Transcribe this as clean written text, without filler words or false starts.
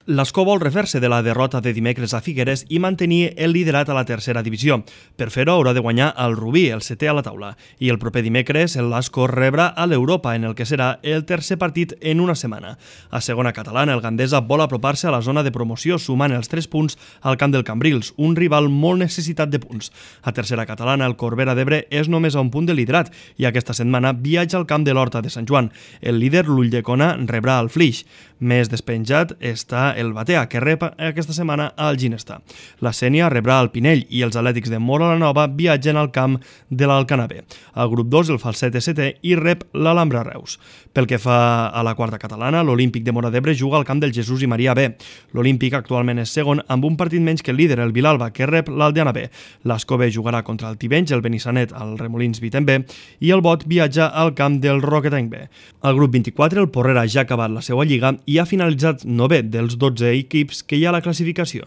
L'Escó vol refer-se de la derrota de dimecres a Figueres i mantenir el liderat a la tercera divisió. Per fer-ho haurà de guanyar el Rubí, el setè a la taula. I el proper dimecres l'Escó rebrà a l'Europa, en el que serà el tercer partit en una setmana. A segona catalana, el Gandesa vol apropar-se a la zona de promoció, sumant els 3 punts al camp del Cambrils, un rival molt necessitat de punts. A tercera catalana, el Corbera d'Ebre és només a un punt de liderat i aquesta setmana viatja al camp de l'Horta de Sant Joan. El líder, l'Ulldecona, rebrà el Flix. Més despenjat està el Batea, que rep aquesta setmana al Ginestà. La Sénia rebrà el Pinell i els Atlètics de Móra la Nova viatgen al camp de l'Alcanavè. Al grup 2, el Falset setè i rep l'Alhambra Reus. Pel que fa a la quarta catalana, l'Olímpic de Móra d'Ebre juga al camp del Jesús i Maria B. L'Olímpic actualment és segon amb un partit menys que el líder, el Vilalba, que rep l'Aldeana B. L'Escó B jugarà contra el Tivenys, el Benissanet, el Remolins Vitem B i el Bot viatja al camp del Roquetenc B. Al grup 24, el Porrera ja ha acabat la seva lliga i ha finalitzat 9è dels 12 equips que hi ha a la classificació.